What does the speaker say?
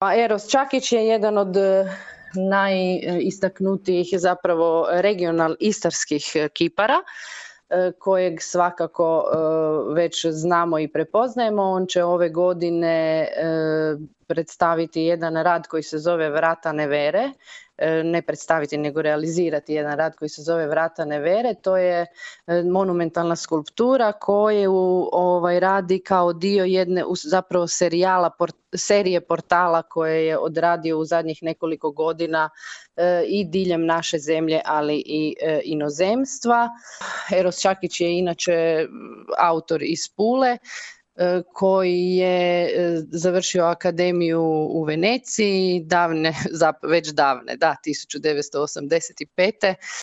Pa Eros Čakić je jedan od najistaknutijih zapravo istarskih kipara kojeg svakako već znamo i prepoznajemo. On će ove godine predstaviti jedan rad koji se zove Vrata Nevere, ne predstaviti nego realizirati jedan rad koji se zove Vrata Nevere. To je monumentalna skulptura koju radi kao dio jedne zapravo serije portala koje je odradio u zadnjih nekoliko godina i diljem naše zemlje, ali i inozemstva. Eros Čakić je inače autor iz Pule koji je završio akademiju u Veneciji već davne, 1985.